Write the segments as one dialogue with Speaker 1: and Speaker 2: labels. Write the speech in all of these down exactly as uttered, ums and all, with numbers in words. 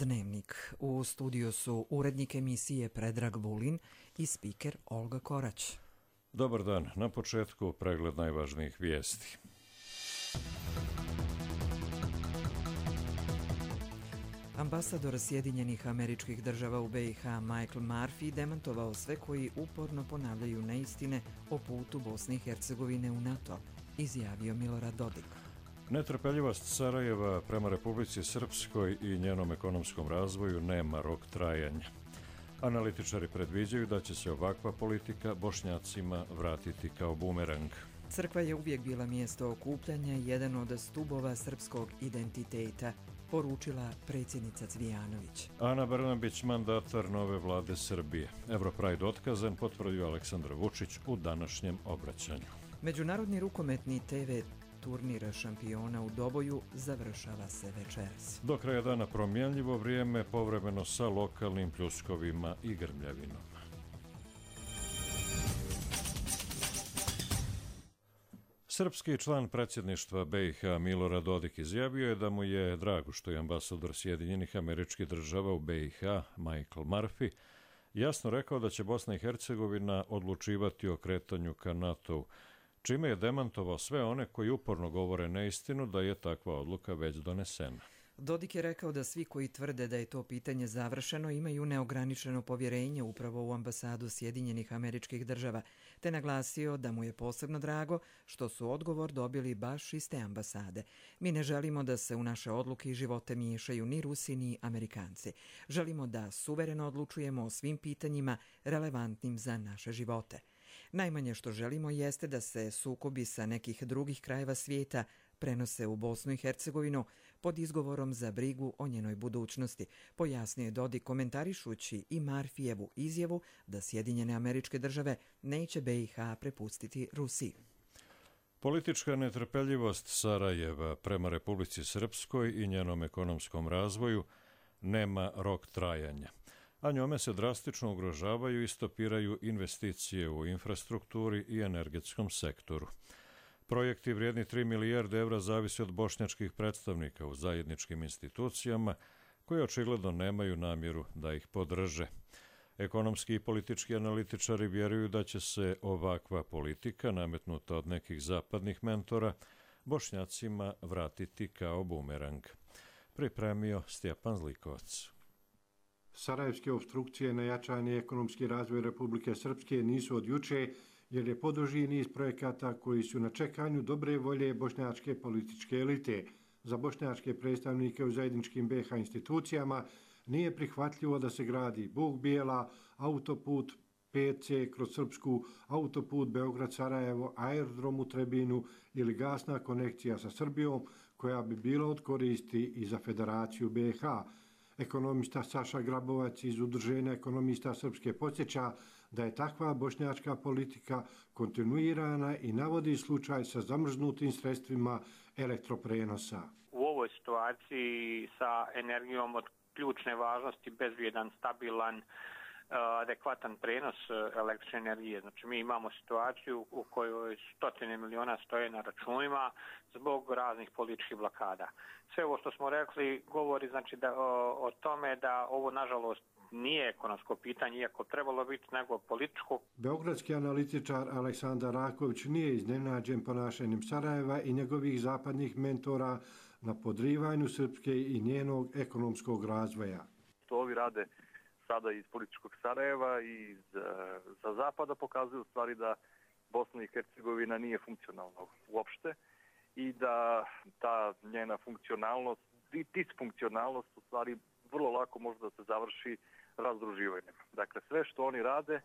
Speaker 1: Dnevnik. U studiju su urednik emisije Predrag Vulin i spiker Olga Korać.
Speaker 2: Dobar dan. Na početku pregled najvažnijih vijesti.
Speaker 1: Ambasador Sjedinjenih Američkih Država u B i H Michael Murphy demantovao sve koji uporno ponavljaju neistine o putu Bosne i Hercegovine u NATO, izjavio Milorad Dodik.
Speaker 2: Netrpeljivost Sarajeva prema Republici Srpskoj i njenom ekonomskom razvoju nema rok trajanja. Analitičari predviđaju da će se ovakva politika Bošnjacima vratiti kao bumerang.
Speaker 1: Crkva je uvijek bila mjesto okupljanja i jedan od stubova srpskog identiteta, poručila predsjednica Cvijanović.
Speaker 2: Ana Brnabić, mandatar nove vlade Srbije. Europride otkazan, potvrdio Aleksandar Vučić u današnjem obraćanju.
Speaker 1: Međunarodni rukometni te ve turnir šampiona u Doboju završava se večeras.
Speaker 2: Do kraja dana promjenljivo vrijeme, povremeno sa lokalnim pljuskovima i grmljavinom. Srpski član predsjedništva B i H Milorad Dodik izjavio je da mu je drago što je ambasador Sjedinjenih Američkih Država u B i H Michael Murphy jasno rekao da će Bosna i Hercegovina odlučivati o kretanju ka NATO-u, čime je demantovao sve one koji uporno govore neistinu da je takva odluka već donesena.
Speaker 1: Dodik je rekao da svi koji tvrde da je to pitanje završeno imaju neograničeno povjerenje upravo u ambasadu Sjedinjenih Američkih Država, te naglasio da mu je posebno drago što su odgovor dobili baš iz te ambasade. Mi ne želimo da se u naše odluke i živote miješaju ni Rusi ni Amerikanci. Želimo da suvereno odlučujemo o svim pitanjima relevantnim za naše živote. Najmanje što želimo jeste da se sukobi sa nekih drugih krajeva svijeta prenose u Bosnu i Hercegovinu pod izgovorom za brigu o njenoj budućnosti, pojasnio je Dodik komentarišući i Murphyjevu izjavu da Sjedinjene Američke Države neće B i H prepustiti Rusiji.
Speaker 2: Politička netrpeljivost Sarajeva prema Republici Srpskoj i njenom ekonomskom razvoju nema rok trajanja, a njome se drastično ugrožavaju i stopiraju investicije u infrastrukturi i energetskom sektoru. Projekti vrijedni tri milijarde evra zavise od bošnjačkih predstavnika u zajedničkim institucijama, koji očigledno nemaju namjeru da ih podrže. Ekonomski i politički analitičari vjeruju da će se ovakva politika, nametnuta od nekih zapadnih mentora, Bošnjacima vratiti kao bumerang. Pripremio Stjepan Zlikovac.
Speaker 3: Sarajevske opstrukcije na jačanje ekonomski razvoj Republike Srpske nisu od juče, jer je poduži niz projekata koji su na čekanju dobre volje bošnjačke političke elite. Za bošnjačke predstavnike u zajedničkim B i H institucijama nije prihvatljivo da se gradi Bug Bijela, autoput P C kroz Srpsku, autoput Beograd-Sarajevo, aerodrom u Trebinu ili gasna konekcija sa Srbijom koja bi bila od koristi i za Federaciju B i H. Ekonomista Saša Grabovac iz Udruženja ekonomista Srpske podsjeća da je takva bošnjačka politika kontinuirana i navodi slučaj sa zamrznutim sredstvima elektroprenosa.
Speaker 4: U ovoj situaciji sa energijom od ključne važnosti, bezbjedan, stabilan, adekvatan prenos električne energije. Znači mi imamo situaciju u kojoj stotine miliona stoje na računima zbog raznih političkih blokada. Sve ovo što smo rekli govori znači da o, o tome da ovo nažalost nije ekonomsko pitanje, iako trebalo biti, nego političko.
Speaker 3: Beogradski analitičar Aleksandar Raković nije iznenađen ponašanjem Sarajeva i njegovih zapadnih mentora na podrivanju Srpske i njenog ekonomskog razvoja.
Speaker 5: To ovi rade sada iz političkog Sarajeva i iz, za zapada pokazuju u stvari da Bosna i Hercegovina nije funkcionalna uopšte i da ta njena funkcionalnost i disfunkcionalnost u stvari vrlo lako može da se završi razdruživanjem. Dakle, sve što oni rade,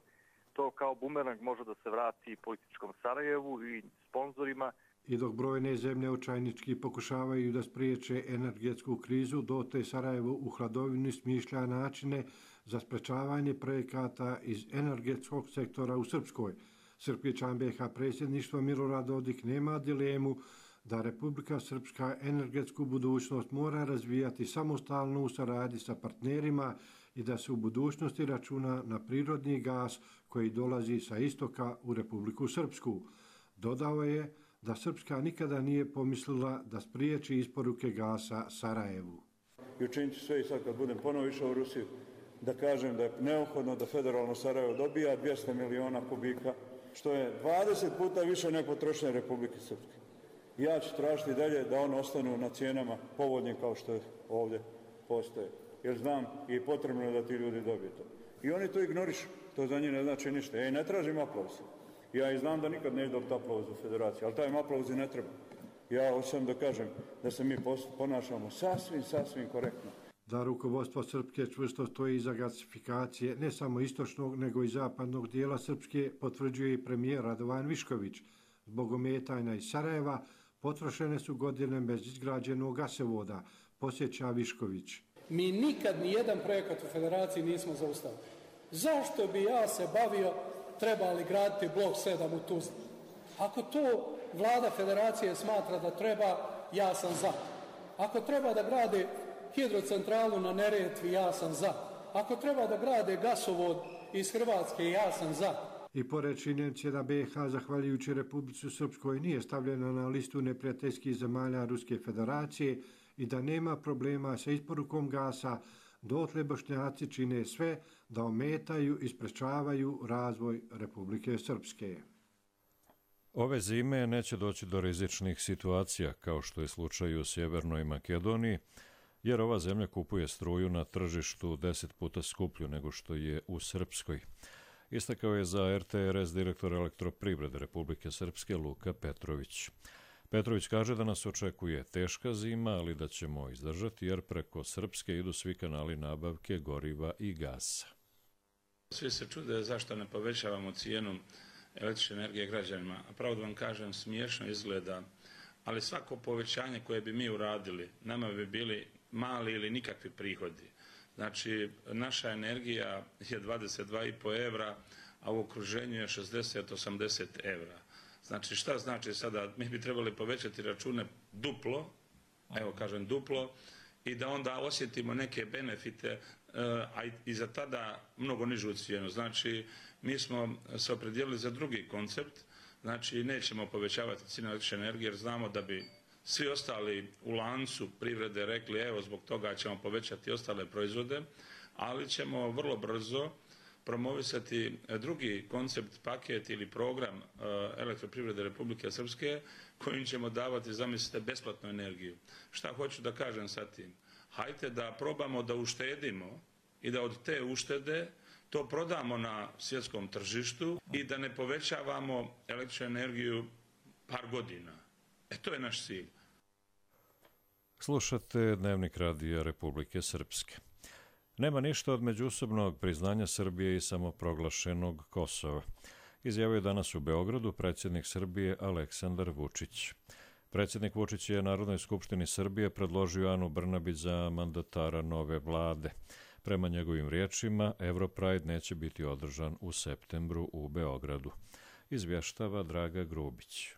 Speaker 5: to kao bumerang može da se vrati političkom Sarajevu i sponzorima.
Speaker 3: I dok brojne zemlje očajnički pokušavaju da spriječe energetsku krizu, dotle Sarajevo u hladovini smišlja načine za sprečavanje projekata iz energetskog sektora u Srpskoj. Srpski član B i H predsjedništva Milorad Dodik nema dilemu da Republika Srpska energetsku budućnost mora razvijati samostalno u saradnji sa partnerima i da se u budućnosti računa na prirodni gas koji dolazi sa istoka u Republiku Srpsku. Dodao je da Srpska nikada nije pomislila da spriječi isporuke gasa Sarajevu.
Speaker 6: I učinit ću sve i sad kad budem ponovo išao u Rusiju da kažem da je neophodno da federalno Sarajevo dobija dvjesto miliona kubika, što je dvadeset puta više nego potrošnje Republike Srpske. Ja ću tražiti dalje da one ostanu na cijenama povoljnim kao što ovdje postoje. Jer znam i potrebno je da ti ljudi dobiju to. I oni to ignorišu. To za njih ne znači ništa. Ja i ne tražim aplauz. Ja i znam da nikad neće dobiti aplauz u federaciji, ali taj aplauz i ne treba. Ja hoćem da kažem da se mi ponašamo sasvim, sasvim korektno.
Speaker 3: Da rukovodstvo Srpske čvrsto stoji iza gasifikacije ne samo istočnog nego i zapadnog dijela Srpske, potvrđuje i premijer Radovan Višković. Zbog ometanja iz Sarajeva potrošene su godine bez izgrađenog gasovoda, posjeća Višković.
Speaker 7: Mi nikad ni jedan projekat u federaciji nismo zaustavili. Zašto bi ja se bavio trebali graditi blok sedam u Tuzli? Ako to vlada federacije smatra da treba, ja sam za. Ako treba da grade hidrocentralu na Neretvi, ja sam za. Ako treba da grade gasovod iz Hrvatske, ja sam za.
Speaker 3: I pored činjenice da B i H, zahvaljujući Republici Srpskoj, nije stavljena na listu neprijateljskih zemalja Ruske federacije i da nema problema sa isporukom gasa, dotle Bošnjaci čine sve da ometaju i sprečavaju razvoj Republike Srpske.
Speaker 2: Ove zime neće doći do rizičnih situacija, kao što je slučaj u Sjevernoj Makedoniji, jer ova zemlja kupuje struju na tržištu deset puta skuplju nego što je u Srpskoj. Istakao je za R T R S direktor Elektroprivrede Republike Srpske Luka Petrović. Petrović kaže da nas očekuje teška zima, ali da ćemo izdržati jer preko Srpske idu svi kanali nabavke goriva i gasa.
Speaker 8: Svi se čude zašto ne povećavamo cijenu električne energije građanima. A pravo da vam kažem, smiješno izgleda, ali svako povećanje koje bi mi uradili, nama bi bili mali ili nikakvi prihodi. Znači, naša energija je dvadeset dva i po evra, a u okruženju je šezdeset do osamdeset evra. Znači, šta znači sada? Mi bi trebali povećati račune duplo, evo kažem duplo, i da onda osjetimo neke benefite, a i za tada mnogo nižu cijenu. Znači, mi smo se opredijelili za drugi koncept, znači nećemo povećavati cijenu električne energije jer znamo da bi svi ostali u lancu privrede rekli evo zbog toga ćemo povećati ostale proizvode, ali ćemo vrlo brzo promovisati drugi koncept, paket ili program Elektroprivrede Republike Srpske kojim ćemo davati, zamislite, besplatnu energiju. Šta hoću da kažem sa tim? Hajde da probamo da uštedimo i da od te uštede to prodamo na svjetskom tržištu i da ne povećavamo električnu energiju par godina. E to je naš cilj.
Speaker 2: Slušate Dnevnik radija Republike Srpske. Nema ništa od međusobnog priznanja Srbije i samoproglašenog Kosova, izjavio je danas u Beogradu predsjednik Srbije Aleksandar Vučić. Predsjednik Vučić je Narodnoj skupštini Srbije predložio Anu Brnabić za mandatara nove vlade. Prema njegovim riječima, Europride neće biti održan u septembru u Beogradu. Izvještava Draga Grubić.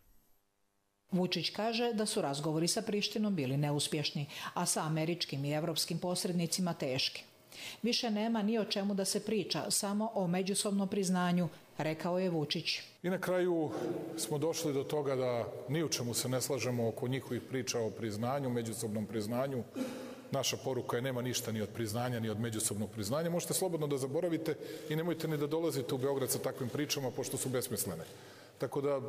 Speaker 9: Vučić kaže da su razgovori sa Prištinom bili neuspješni, a sa američkim i evropskim posrednicima teški. Više nema ni o čemu da se priča, samo o međusobnom priznanju, rekao je Vučić.
Speaker 10: I na kraju smo došli do toga da ni u čemu se ne slažemo oko njihovih priča o priznanju, međusobnom priznanju. Naša poruka je nema ništa ni od priznanja, ni od međusobnog priznanja. Možete slobodno da zaboravite i nemojte ni da dolazite u Beograd sa takvim pričama, pošto su besmislene. Tako da,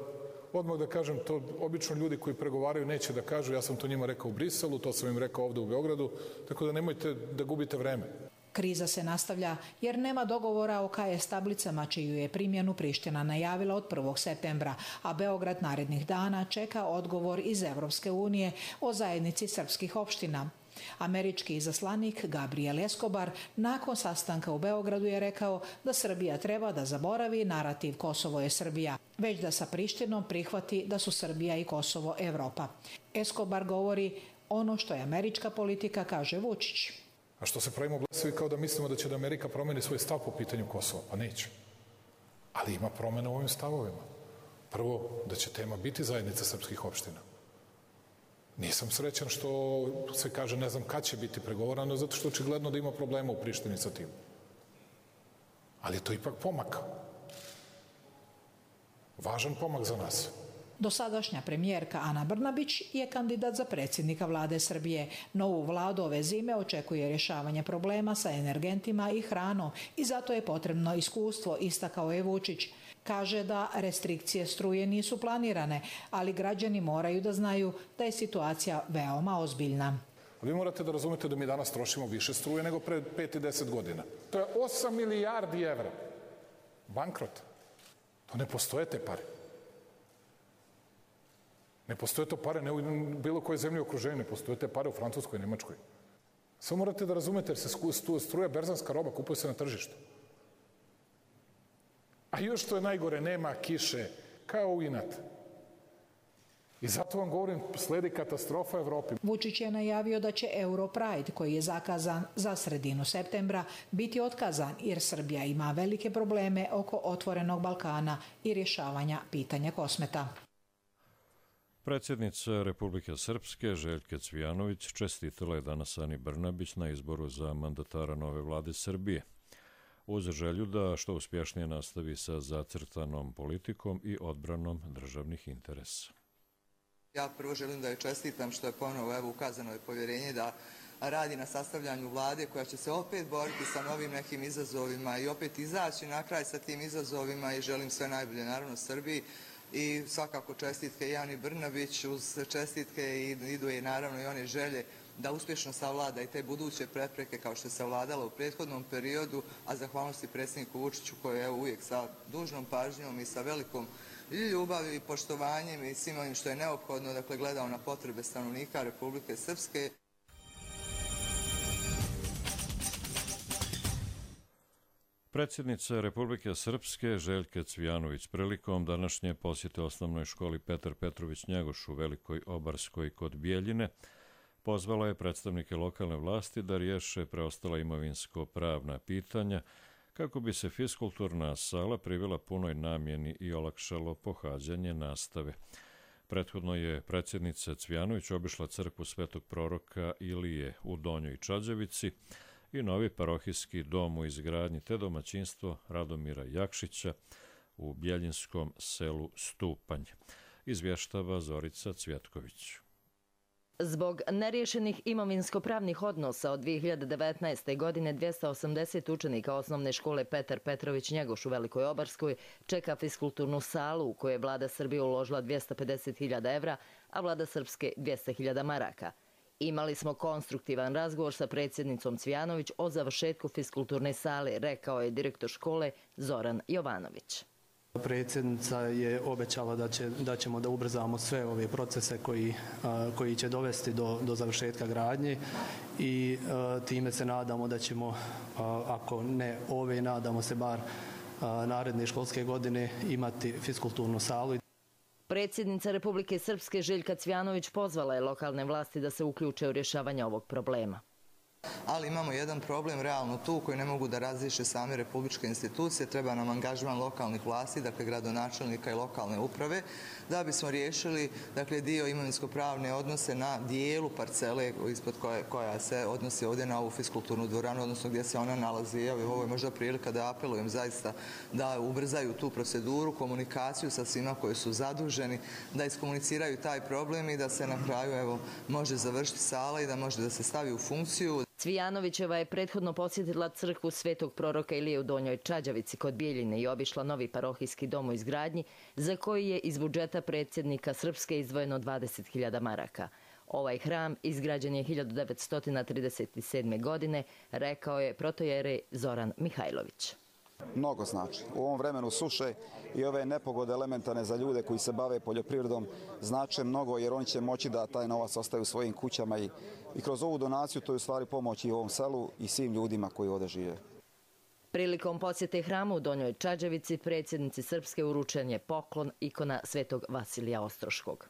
Speaker 10: odmah da kažem, to obično ljudi koji pregovaraju neće da kažu, ja sam to njima rekao u Briselu, to sam im rekao ovde u Beogradu, tako da nemojte da gubite vreme.
Speaker 9: Kriza se nastavlja jer nema dogovora o K S tablicama čiju je primjenu Priština najavila od prvog septembra, a Beograd narednih dana čeka odgovor iz Evropske unije o zajednici srpskih opština. Američki izaslanik Gabriel Escobar nakon sastanka u Beogradu je rekao da Srbija treba da zaboravi narativ Kosovo je Srbija, već da sa Prištinom prihvati da su Srbija i Kosovo Evropa. Escobar govori ono što je američka politika, kaže Vučić.
Speaker 10: A što se pravimo blesavi kao da mislimo da će da Amerika promeni svoj stav po pitanju Kosova? Pa neće. Ali ima promjena u ovim stavovima. Prvo, da će tema biti zajednica srpskih opština. Nisam srećan što se kaže ne znam kad će biti pregovorano, zato što očigledno da ima problema u Prištini sa tim. Ali je to ipak pomak. Važan pomak za nas.
Speaker 9: Dosadašnja premijerka Ana Brnabić je kandidat za predsjednika vlade Srbije. Novu vladu ove zime očekuje rješavanje problema sa energentima i hranom i zato je potrebno iskustvo, istakao je Vučić. Kaže da restrikcije struje nisu planirane, ali građani moraju da znaju da je situacija veoma ozbiljna.
Speaker 10: Vi morate da razumete da mi danas trošimo više struje nego pre pet i deset godina. To je osam milijardi evra. Bankrot. To ne postoje te pare. Ne postoje to pare ne u bilo kojoj zemlji u okruženju, ne postoje te pare u Francuskoj i Nemačkoj. Samo morate da razumete jer se struja berzanska roba, kupuje se na tržištu. A još što je najgore, nema kiše, kao u inat. I zato vam govorim, sledi katastrofa Evropi.
Speaker 9: Vučić je najavio da će Europride, koji je zakazan za sredinu septembra, biti otkazan jer Srbija ima velike probleme oko otvorenog Balkana i rješavanja pitanja Kosmeta.
Speaker 2: Predsjednica Republike Srpske Željka Cvijanović čestitala je danas Ani Brnabić na izboru za mandatara nove vlade Srbije, uz želju da što uspješnije nastavi sa zacrtanom politikom i odbranom državnih interesa.
Speaker 11: Ja prvo želim da joj čestitam što je ponovo evo ukazano je povjerenje da radi na sastavljanju vlade koja će se opet boriti sa novim nekim izazovima i opet izaći na kraj sa tim izazovima i želim sve najbolje naravno Srbiji i svakako čestitke i Ani Brnabić, uz čestitke idu i naravno i one želje da uspješno savlada i te buduće prepreke kao što je savladala u prethodnom periodu, a zahvalnosti predsjedniku Vučiću koji je uvijek sa dužnom pažnjom i sa velikom ljubavlju i poštovanjem i svim onim što je neophodno, dakle gledao na potrebe stanovnika Republike Srpske.
Speaker 2: Predsjednica Republike Srpske Željka Cvijanović prilikom današnje posjete osnovnoj školi Petar Petrović Njegoš u Velikoj Obarskoj kod Bijeljine pozvala je predstavnike lokalne vlasti da riješe preostala imovinsko-pravna pitanja kako bi se fiskulturna sala privela punoj namjeni i olakšalo pohađanje nastave. Prethodno je predsjednica Cvijanović obišla crkvu Svetog proroka Ilije u Donjoj Čađevici i novi parohijski dom u izgradnji te domaćinstvo Radomira Jakšića u Bjeljinskom selu Stupanj. Izvještava Zorica Cvjetković.
Speaker 12: Zbog neriješenih imovinsko-pravnih odnosa od dvije hiljade devetnaeste. godine dvjesto osamdeset učenika osnovne škole Petar Petrović Njegoš u Velikoj Obarskoj čeka fiskulturnu salu u kojoj je vlada Srbije uložila dvjesto pedeset hiljada evra, a vlada Srpske dvjesto hiljada maraka. Imali smo konstruktivan razgovor sa predsjednicom Cvijanović o završetku fiskulturne sale, rekao je direktor škole Zoran Jovanović.
Speaker 13: Predsjednica je obećala da, će, da ćemo da ubrzamo sve ove procese koji, a, koji će dovesti do, do završetka gradnje i a, time se nadamo da ćemo, a, ako ne ove, nadamo se bar a, naredne školske godine imati fiskulturnu salu.
Speaker 12: Predsjednica Republike Srpske Željka Cvijanović pozvala je lokalne vlasti da se uključe u rješavanje ovog problema.
Speaker 11: Ali imamo jedan problem realno tu koji ne mogu da razriješe same republičke institucije, treba nam angažman lokalnih vlasti, dakle gradonačelnika i lokalne uprave, da bismo riješili dakle, dio imovinsko-pravne odnose na dijelu parcele ispod koje, koja se odnosi ovdje na ovu fiskulturnu dvoranu, odnosno gdje se ona nalazi. Evo, ovo je možda prilika da apelujem zaista da ubrzaju tu proceduru, komunikaciju sa svima koji su zaduženi, da iskomuniciraju taj problem i da se na kraju evo, može završiti sala i da može da se stavi u funkciju.
Speaker 12: Cvijanovićeva je prethodno posjetila crkvu Svetog proroka Ilije u Donjoj Čađavici kod Bijeljine i obišla novi parohijski dom u izgradnji za koji je iz budžeta predsjednika Srpske izdvojeno dvadeset hiljada maraka. Ovaj hram izgrađen je hiljadu devetsto trideset sedme. godine, rekao je protojerej Zoran Mihajlović.
Speaker 14: Mnogo znači. U ovom vremenu suše i ove nepogode elementarne za ljude koji se bave poljoprivredom znače mnogo jer oni će moći da taj novac ostaju u svojim kućama i, i kroz ovu donaciju to je u stvari pomoć i ovom selu i svim ljudima koji ovdje žive.
Speaker 12: Prilikom posjete hramu u Donjoj Čađavici predsjednici Srpske uručen je poklon ikona Svetog Vasilija Ostroškog.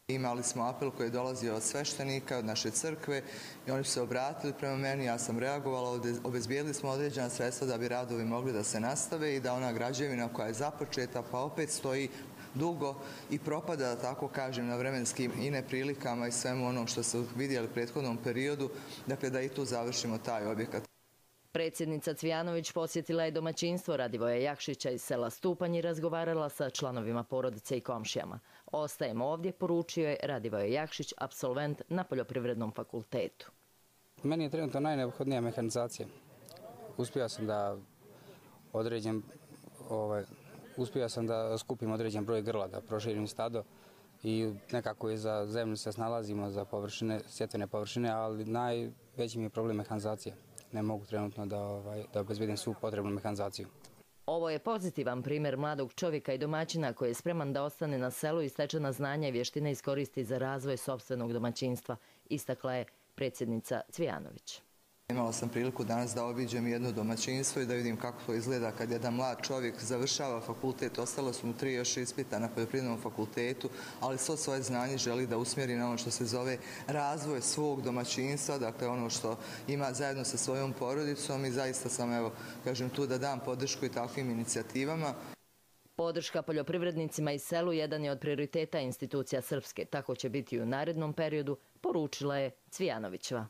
Speaker 11: Imali smo apel koji je dolazio od sveštenika, od naše crkve i oni su se obratili prema meni, ja sam reagovala, obezbijedili smo određena sredstva da bi radovi mogli da se nastave i da ona građevina koja je započeta pa opet stoji dugo i propada, da tako kažem, na vremenskim i neprilikama i svemu onom što su vidjeli u prethodnom periodu, dakle da i tu završimo taj objekat.
Speaker 12: Predsjednica Cvijanović posjetila je domaćinstvo Radivoja Jakšića iz sela Stupanj i razgovarala sa članovima porodice i komšijama. Ostajemo ovdje, poručio je Radivoje Jakšić, apsolvent na Poljoprivrednom fakultetu.
Speaker 15: Meni je trenutno najneophodnija mehanizacija. Uspio sam da određen, ovaj, uspio sam da skupim određen broj grla, da proširim stado i nekako i za zemlju se snalazimo za površine, sjetvene površine, ali najveći mi je problem mehanizacija. Ne mogu trenutno da, ovaj, da obezbedim svu potrebnu mehanizaciju.
Speaker 12: Ovo je pozitivan primjer mladog čovjeka i domaćina koji je spreman da ostane na selu i stečena znanja i vještine iskoristi za razvoj sopstvenog domaćinstva, istakla je predsjednica Cvijanović.
Speaker 11: Imala sam priliku danas da obiđem jedno domaćinstvo i da vidim kako to izgleda kad jedan mlad čovjek završava fakultet. Ostalo su mu tri još ispita na Poljoprivrednom fakultetu, ali svo svoje znanje želi da usmjeri na ono što se zove razvoj svog domaćinstva, dakle ono što ima zajedno sa svojom porodicom i zaista sam, evo, kažem, tu da dam podršku i takvim inicijativama.
Speaker 12: Podrška poljoprivrednicima i selu jedan je od prioriteta institucija Srpske. Tako će biti i u narednom periodu, poručila je Cvijanovićeva.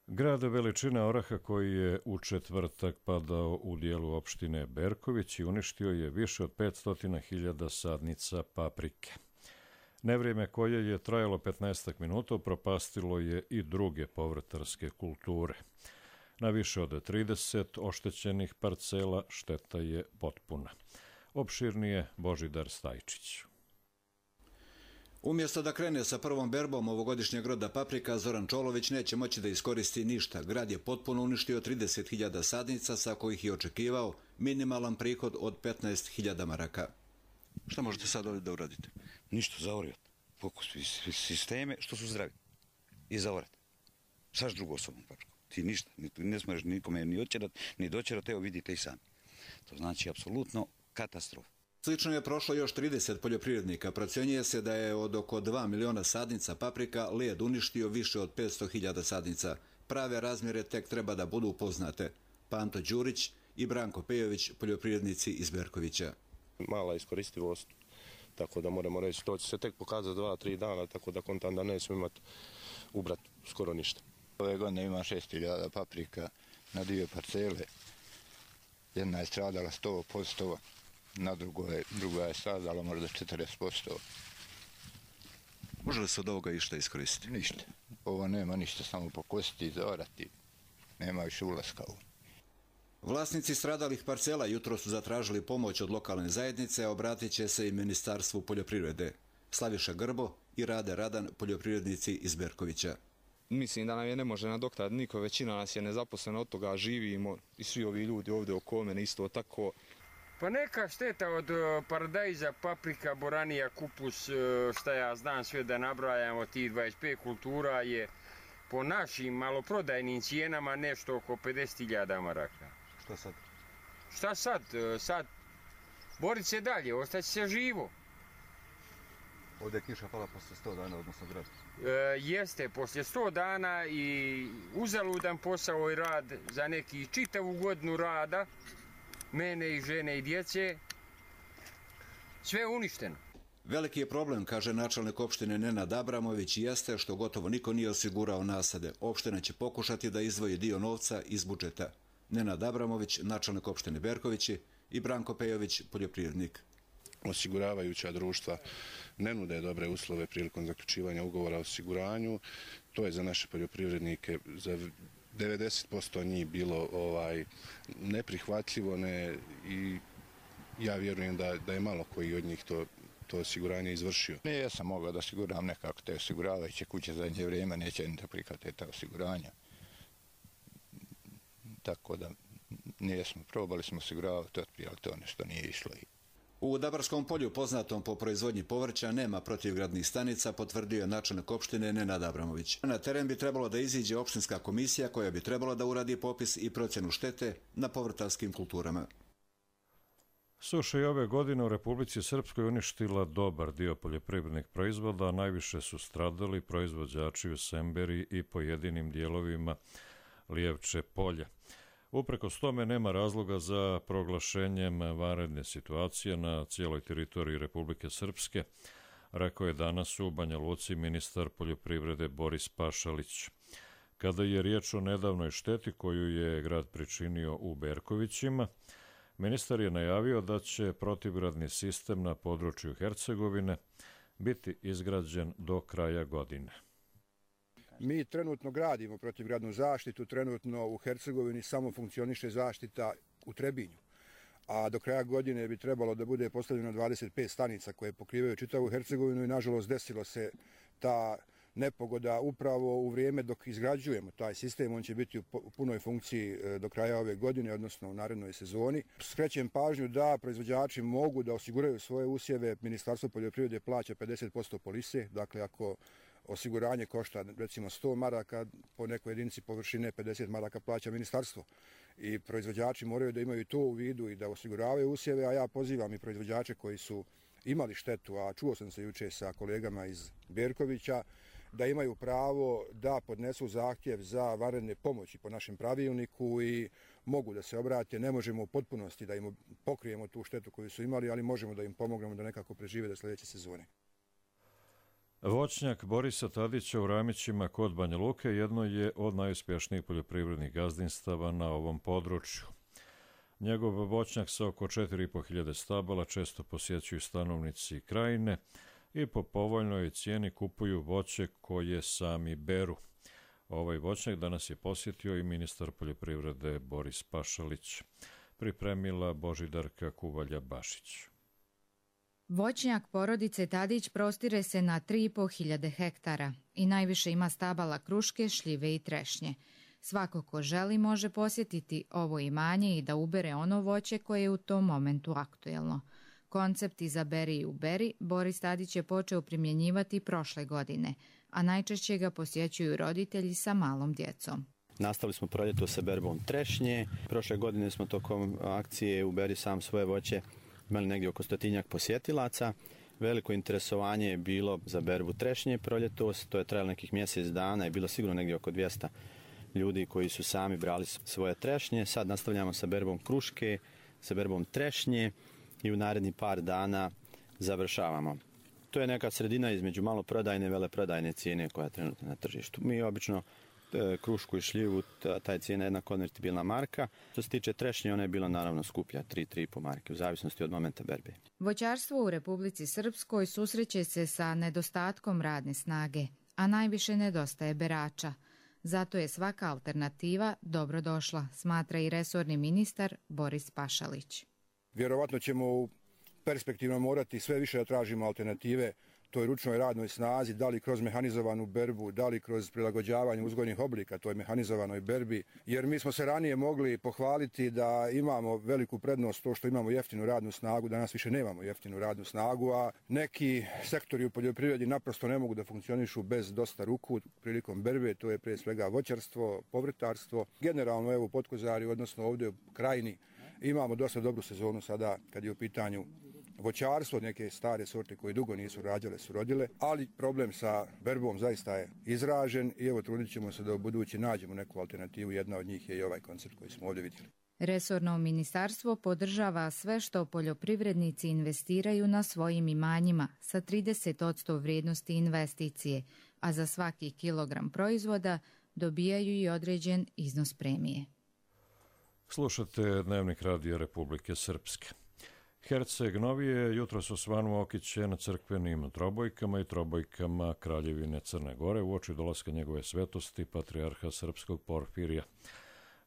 Speaker 2: Grad veličine oraha koji je u četvrtak padao u dijelu opštine Berković i uništio je više od petsto hiljada sadnica paprike. Nevrijeme koje je trajalo petnaest minuta propastilo je i druge povrtarske kulture. Na više od trideset oštećenih parcela šteta je potpuna. Opširnije Božidar Stajčić.
Speaker 16: Umjesto da krene sa prvom berbom ovogodišnjeg roda paprika, Zoran Čolović neće moći da iskoristi ništa. Grad je potpuno uništio trideset hiljada sadnica, sa kojih je očekivao minimalan prihod od petnaest hiljada maraka.
Speaker 17: Šta možete sad ovdje da uradite? Ništa, zaorjati. Fokus sisteme što su zdravi. I zaorjati. Saš drugu osobnu papriku. Ti ništa, ne smiješ nikome ni očerat, ni dočerat, evo vidite i sami. To znači apsolutno katastrofa.
Speaker 16: Slično je prošlo još trideset poljoprivrednika. Procjenjuje se da je od oko dva miliona sadnica paprika led uništio više od petsto hiljada sadnica. Prave razmjere tek treba da budu upoznate. Panto Đurić i Branko Pejović, poljoprivrednici iz Berkovića.
Speaker 18: Mala iskoristivost, tako da moramo reći, to će se tek pokazati dva, tri dana, tako da kontam da nećemo imati ubrat skoro ništa.
Speaker 19: Ove godine ima šest hiljada paprika na dvije parcele. Jedna je stradala sto posto. Na drugoj, druga je stradala možda četrdeset posto.
Speaker 17: Može li se od ovoga išta iskoristiti?
Speaker 19: Ništa. Ovo nema ništa, samo pokositi i zaorati. Nema više ulaska u.
Speaker 16: Vlasnici stradalih parcela jutro su zatražili pomoć od lokalne zajednice, a obratit će se i Ministarstvu poljoprivrede. Slaviša Grbo i Rade Radan, poljoprivrednici iz Berkovića.
Speaker 20: Mislim da nam je ne može nadoknaditi niko, većina nas je nezaposlena, od toga živimo i svi ovi ljudi ovdje oko mene isto tako.
Speaker 21: Pa neka šteta od paradajza, paprika, boranija, kupus, šta ja znam sve da nabrajamo, tih dvadeset pet kultura je po našim maloprodajnim cijenama nešto oko pedeset hiljada maraka.
Speaker 17: Šta sad?
Speaker 21: Šta sad? Sad borit se dalje, ostać se živo.
Speaker 17: Ovdje je kiša pala posle sto dana, odnosno grad.
Speaker 21: E, jeste, posle sto dana i uzaludan posao i rad za neki čitavu godinu rada, mene i žene i djece, sve uništeno.
Speaker 16: Veliki je problem, kaže načelnik opštine Nenad Abramović, jeste što gotovo niko nije osigurao nasade. Opština će pokušati da izdvoji dio novca iz budžeta. Nenad Abramović, načelnik opštine Berkovići, i Branko Pejović, poljoprivrednik.
Speaker 18: Osiguravajuća društva ne nude dobre uslove prilikom zaključivanja ugovora o osiguranju. To je za naše poljoprivrednike za devedeset posto njih bilo ovaj, neprihvatljivo ne, i ja vjerujem da, da je malo koji od njih to, to osiguranje izvršio.
Speaker 19: Ne, ja sam mogao da osiguram nekako te osiguravajuće kuće za zadnje vrijeme, neće ni da prihvate ta osiguranja. Tako da nijesmo, probali smo osiguravati, ali to nešto nije išlo.
Speaker 16: U Dabarskom polju, poznatom po proizvodnji povrća, nema protivgradnih stanica, potvrdio je načelnik opštine Nenad Abramović. Na teren bi trebalo da iziđe opštinska komisija koja bi trebala da uradi popis i procjenu štete na povrtarskim kulturama.
Speaker 2: Suša je ove godine u Republici Srpskoj uništila dobar dio poljoprivrednih proizvoda, a najviše su stradali proizvođači u Semberi i pojedinim dijelovima Lijevče polja. Uprkos tome nema razloga za proglašenjem vanredne situacije na cijeloj teritoriji Republike Srpske, rekao je danas u Banja Luci ministar poljoprivrede Boris Pašalić. Kada je riječ o nedavnoj šteti koju je grad pričinio u Berkovićima, ministar je najavio da će protivgradni sistem na području Hercegovine biti izgrađen do kraja godine.
Speaker 1: Mi trenutno gradimo protivgradnu zaštitu, trenutno u Hercegovini samo funkcioniše zaštita u Trebinju, a do kraja godine bi trebalo da bude postavljeno dvadeset pet stanica koje pokrivaju čitavu Hercegovinu i nažalost desilo se ta nepogoda upravo u vrijeme dok izgrađujemo taj sistem. On će biti u punoj funkciji do kraja ove godine, odnosno u narednoj sezoni. Skrećem pažnju da proizvođači mogu da osiguraju svoje usjeve. Ministarstvo poljoprivrede plaća pedeset posto polise, dakle ako osiguranje košta recimo sto maraka, po nekoj jedinici površine pedeset maraka plaća ministarstvo. I proizvođači moraju da imaju to u vidu i da osiguravaju usjeve, a ja pozivam i proizvođače koji su imali štetu, a čuo sam se juče sa kolegama iz Berkovića, da imaju pravo da podnesu zahtjev za vanredne pomoći po našem pravilniku i mogu da se obrate. Ne možemo u potpunosti da im pokrijemo tu štetu koju su imali, ali možemo da im pomognemo da nekako prežive do sljedeće sezone.
Speaker 2: Voćnjak Borisa Tadića u Ramićima kod Banja Luke jedno je od najuspješnijih poljoprivrednih gazdinstava na ovom području. Njegov voćnjak sa oko četiri i po hiljade stabala često posjećuju stanovnici krajine i po povoljnoj cijeni kupuju voće koje sami beru. Ovaj voćnjak danas je posjetio i ministar poljoprivrede Boris Pašalić. Pripremila Božidarka Kuvalja-Bašić.
Speaker 22: Voćnjak porodice Tadić prostire se na tri i po hiljade hektara i najviše ima stabala kruške, šljive i trešnje. Svako ko želi može posjetiti ovo imanje i da ubere ono voće koje je u tom momentu aktuelno. Koncept izaberi i uberi Boris Tadić je počeo primjenjivati prošle godine, a najčešće ga posjećuju roditelji sa malom djecom.
Speaker 23: Nastavili smo proljeto sa berbom trešnje. Prošle godine smo tokom akcije Uberi sam svoje voće imali negdje oko stotinjak posjetilaca. Veliko interesovanje je bilo za berbu trešnje proljetos, to je trajalo nekih mjesec dana i bilo sigurno negdje oko dvjesto ljudi koji su sami brali svoje trešnje. Sad nastavljamo sa berbom kruške, sa berbom trešnje i u naredni par dana završavamo. To je neka sredina između maloprodajne i veleprodajne cijene koja je trenutno na tržištu. Mi obično krušku i šljivu, taj cijena je jedna konvertibilna marka. Što se tiče trešnje, ona je bila naravno skuplja, tri do tri i po marke, u zavisnosti od momenta berbe.
Speaker 22: Voćarstvo u Republici Srpskoj susreće se sa nedostatkom radne snage, a najviše nedostaje berača. Zato je svaka alternativa dobrodošla, smatra i resorni ministar Boris Pašalić.
Speaker 1: Vjerovatno ćemo u perspektivno morati sve više da tražimo alternative toj ručnoj radnoj snazi, da li kroz mehanizovanu berbu, da li kroz prilagođavanje uzgojnih oblika toj mehanizovanoj berbi, jer mi smo se ranije mogli pohvaliti da imamo veliku prednost to što imamo jeftinu radnu snagu, danas više nemamo jeftinu radnu snagu, a neki sektori u poljoprivredi naprosto ne mogu da funkcionišu bez dosta ruku prilikom berbe, to je prije svega voćarstvo, povrtarstvo. Generalno evo u Potkozari, odnosno ovdje u Krajini, imamo dosta dobru sezonu sada kad je u pitanju voćarstvo, neke stare sorte koje dugo nisu rađale su rodile, ali problem sa berbom zaista je izražen i evo trudit ćemo se da u budući nađemo neku alternativu, jedna od njih je i ovaj koncept koji smo ovdje vidjeli.
Speaker 22: Resorno ministarstvo podržava sve što poljoprivrednici investiraju na svojim imanjima sa trideset posto vrijednosti investicije, a za svaki kilogram proizvoda dobijaju i određen iznos premije.
Speaker 2: Slušate Dnevnik Radija Republike Srpske. Herceg Novi je jutros osvanuo okićen crkvenim trobojkama i trobojkama Kraljevine Crne Gore uoči dolaska njegove svetosti, patrijarha srpskog Porfirija.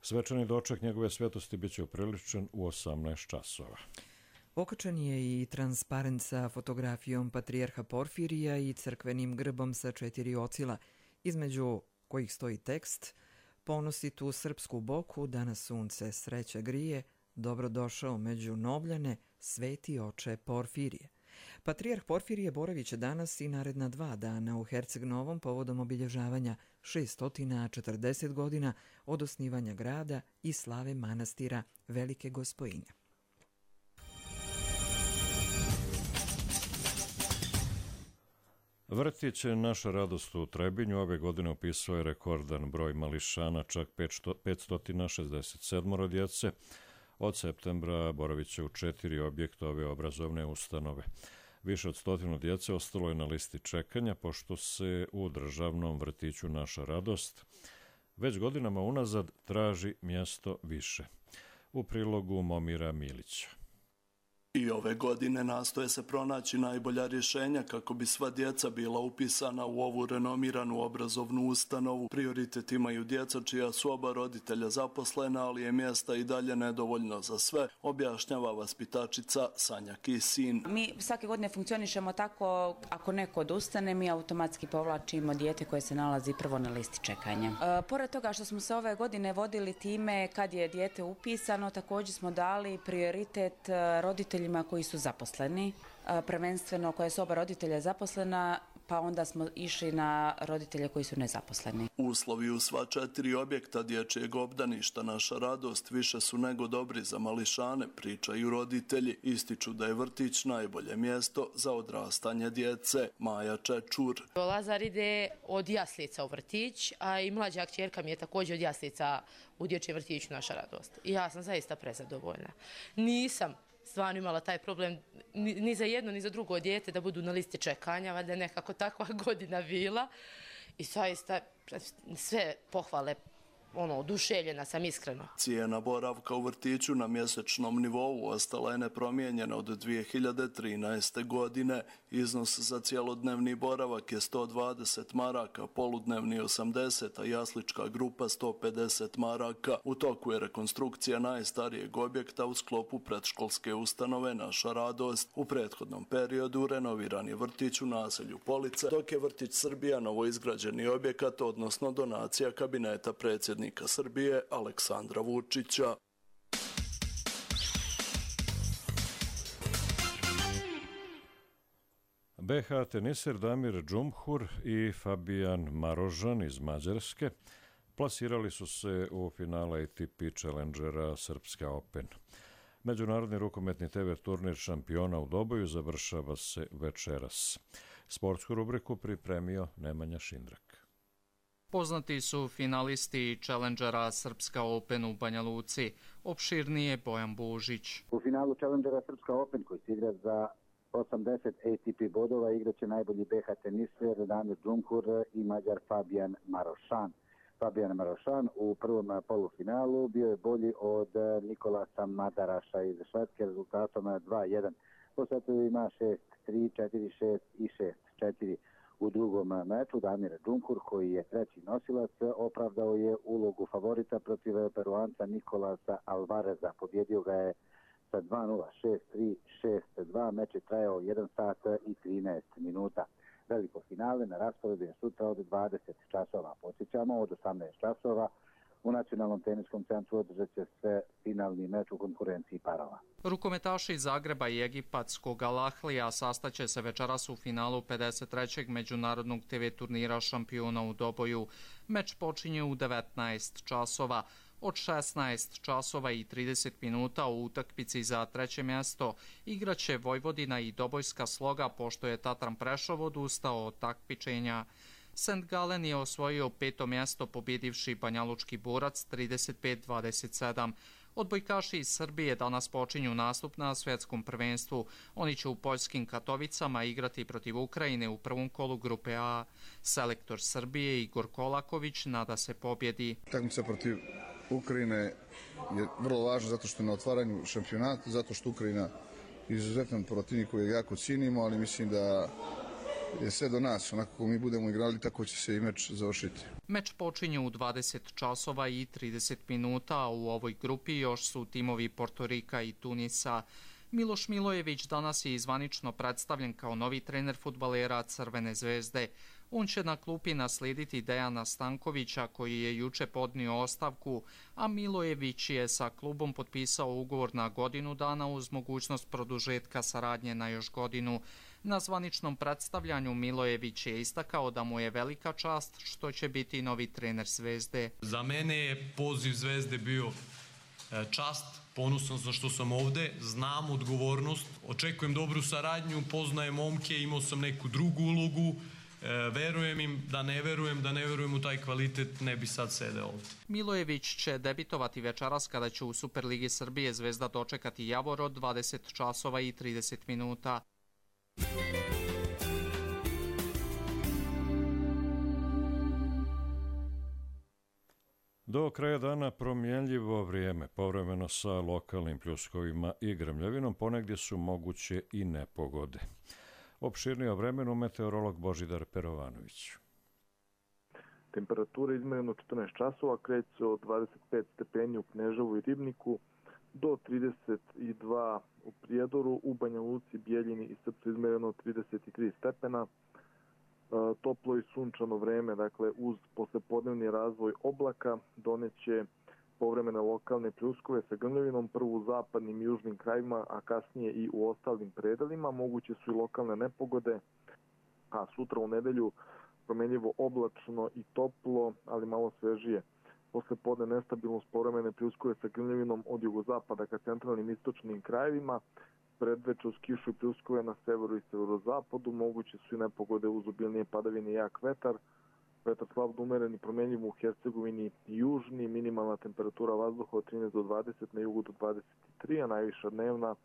Speaker 2: Svečani doček njegove svetosti biće upriličen u osamnaest časova.
Speaker 24: Okačen je i transparent sa fotografijom patrijarha Porfirija i crkvenim grbom sa četiri ocila, između kojih stoji tekst: "Ponosi tu srpsku boku, da nas sunce sreće grije, dobrodošao među Novljane, sveti oče Porfirije." Patrijarh Porfirije boravit će danas i naredna dva dana u Herceg Novom povodom obilježavanja šesto četrdeset godina od osnivanja grada i slave manastira Velike Gospojinje.
Speaker 2: Vrtić Naša radost u Trebinju ove godine upisao je rekordan broj mališana, čak petsto šezdeset sedam djece. Od septembra boravit će u četiri objekta ove obrazovne ustanove. Više od stotinu djece ostalo je na listi čekanja, pošto se u državnom vrtiću Naša radost već godinama unazad traži mjesto više. U prilogu Momira Milića.
Speaker 4: I ove godine nastoje se pronaći najbolja rješenja kako bi sva djeca bila upisana u ovu renomiranu obrazovnu ustanovu. Prioritet imaju djeca čija su oba roditelja zaposlena, ali je mjesta i dalje nedovoljno za sve, objašnjava vaspitačica Sanja Kisin.
Speaker 5: Mi svake godine funkcionišemo tako, ako neko odustane, mi automatski povlačimo dijete koje se nalazi prvo na listi čekanja. E, pored toga što smo se ove godine vodili time kad je dijete upisano, također smo dali prioritet roditeljima koji su zaposleni, prvenstveno koje su oba roditelja zaposlena, pa onda smo išli na roditelje koji su nezaposleni.
Speaker 4: Uslovi u sva četiri objekta dječjeg obdaništa Naša radost više su nego dobri za mališane, pričaju roditelji. Ističu da je vrtić najbolje mjesto za odrastanje djece. Maja Čečur.
Speaker 6: Lazar ide od jaslica u vrtić, a i mlađa kćerka mi je također od jaslica u dječjem vrtiću Naša radost. I ja sam zaista prezadovoljna. Nisam stvarno imala taj problem ni, ni za jedno ni za drugo dijete da budu na listi čekanja, valjda je nekako takva godina bila i zaista sve pohvale, ono, oduševljena sam iskreno.
Speaker 4: Cijena boravka u vrtiću na mjesečnom nivou ostala je nepromijenjena od dvije hiljade trinaeste. godine. Iznos za cjelodnevni boravak je sto dvadeset maraka, poludnevni osamdeset, a jaslička grupa sto pedeset maraka. U toku je rekonstrukcija najstarijeg objekta u sklopu predškolske ustanove Naša radost. U prethodnom periodu renoviran je vrtić u naselju Police, dok je vrtić Srbija novoizgrađeni objekat, odnosno donacija kabineta predsjednika Srbije Aleksandra Vučića.
Speaker 2: be ha teniser Damir Džumhur i Fabijan Marožan iz Mađarske plasirali su se u finale A T P Challengera Srpska Open. Međunarodni rukometni te ve turnir šampiona u Doboju završava se večeras. Sportsku rubriku pripremio Nemanja Šindrak.
Speaker 7: Poznati su finalisti Challengera Srpska Open u Banja Luci. Opširnije Bojan Božić.
Speaker 25: U finalu Challengera Srpska Open koji se igra za osamdeset A T P bodova igraće najbolji be ha teniser Damir Džumhur i Mađar Fabijan Marošan. Fabijan Marošan u prvom polufinalu bio je bolji od Nikolasa Madaraša iz Švedske rezultatom dva jedan. Po setu ima šest tri, četiri šest i šest četiri. U drugom meču Damir Džumhur, koji je treći nosilac, opravdao je ulogu favorita protiv Peruanca Nikolasa Alvareza. Pobjedio ga je sa dva nula, šest tri, šest dva. Meč je trajao jedan sat i trinaest minuta. Veliko finale na rasporedu je sutra od dvadeset časova. Podsjećamo, od osamnaest časova u Nacionalnom teniskom centru održat će se finalni meč u konkurenciji parova.
Speaker 7: Rukometaši iz Zagreba i egipatskog Al-Ahlija sastaće se večeras u finalu pedeset trećeg međunarodnog te ve turnira šampiona u Doboju. Meč počinje u devetnaest časova. Od šesnaest časova i trideset minuta u utakmici za treće mjesto igraće Vojvodina i Dobojska Sloga, pošto je Tatran Prešov odustao od takmičenja. Saint Gallen je osvojio peto mjesto pobjedivši Banjalučki Borac trideset pet dvadeset sedam. Odbojkaši iz Srbije danas počinju nastup na svjetskom prvenstvu. Oni će u poljskim Katovicama igrati protiv Ukrajine u prvom kolu grupe A. Selektor Srbije Igor Kolaković nada se pobjedi.
Speaker 26: Takmica protiv Ukrajine je vrlo važna zato što je na otvaranju šampionata, zato što Ukrajina je izuzetan protivnik koji jako cijenimo, ali mislim da je sve do nas. Onako kako mi budemo igrali, tako će se i meč završiti.
Speaker 7: Meč počinje u dvadeset časova i trideset minuta, a u ovoj grupi još su timovi Portorika i Tunisa. Miloš Milojević danas je zvanično predstavljen kao novi trener fudbalera Crvene zvezde. On će na klupi naslijediti Dejana Stankovića, koji je juče podnio ostavku, a Milojević je sa klubom potpisao ugovor na godinu dana uz mogućnost produžetka saradnje na još godinu. Na zvaničnom predstavljanju Milojević je istakao da mu je velika čast što će biti novi trener Zvezde.
Speaker 27: Za mene je poziv Zvezde bio čast, ponosan sam što sam ovde, znam odgovornost, očekujem dobru saradnju, poznajem momke, imao sam neku drugu ulogu, verujem im, da ne verujem, da ne verujem u taj kvalitet, ne bi sad sedeo ovdje.
Speaker 7: Milojević će debitovati večeras kada će u Superligi Srbije Zvezda dočekati Javor od dvadeset časova i trideset minuta.
Speaker 2: Do kraja dana promjenljivo vrijeme, povremeno sa lokalnim pljuskovima i grmljavinom, ponegdje su moguće i nepogode. Opširnije o vremenu meteorolog Božidar Perovanović.
Speaker 3: Temperatura izmjerena četrnaest časova, kreće se od dvadeset pet stepeni u Kneževu i Ribniku do trideset dva u Prijedoru, u Banja Luci, Bijeljini i Srpcu izmjereno trideset tri stepena. Toplo i sunčano vreme, dakle uz poslepodnevni razvoj oblaka, doneće povremene lokalne pljuskove sa grmljavinom, prvo u zapadnim i južnim krajima, a kasnije i u ostalim predelima. Moguće su i lokalne nepogode, a sutra u nedelju promjenljivo oblačno i toplo, ali malo svežije. Posle podne nestabilnost, povremene pljuskove sa grmljavinom od jugozapada ka centralnim istočnim krajevima, predveče uz kišu i pljuskove na severu i severozapadu, moguće su i nepogode uz obilnije padavine i jak vetar. Vetar slab do umeren i promjenljiv u Hercegovini i južni, minimalna temperatura vazduha od trinaest do dvadeset, na jugu do dvadeset tri, a najviša dnevna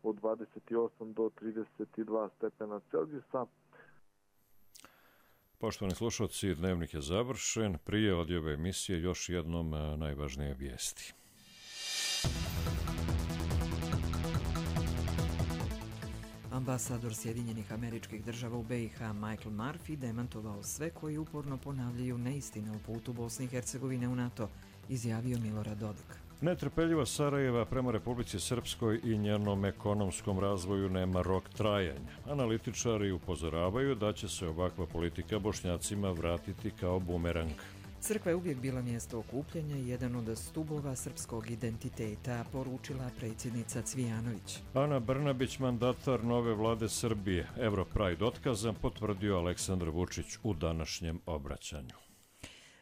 Speaker 3: od dvadeset osam do trideset dva stepena Celzijusa.
Speaker 2: Poštovani slušalci, dnevnik je završen. Prije odjave emisije još jednom najvažnije vijesti.
Speaker 24: Ambasador Sjedinjenih Američkih Država u B i H Michael Murphy demantovao sve koji uporno ponavljaju neistine o putu Bosne i Hercegovine u NATO, izjavio Milorad Dodik.
Speaker 2: Netrpeljivost Sarajeva prema Republici Srpskoj i njenom ekonomskom razvoju nema rok trajanja. Analitičari upozoravaju da će se ovakva politika Bošnjacima vratiti kao bumerang.
Speaker 24: Crkva je uvijek bila mjesto okupljanja i jedan od stubova srpskog identiteta, poručila predsjednica Cvijanović.
Speaker 2: Ana Brnabić, mandatar nove vlade Srbije, Europride otkazan, potvrdio Aleksandar Vučić u današnjem obraćanju.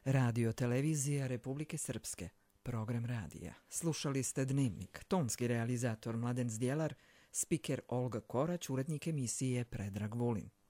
Speaker 24: Radio televizija Republike Srpske, program radija. Slušali ste Dnevnik, tonski realizator Mladen Zdjelar, spiker Olga Korać, urednik emisije Predrag Vulin.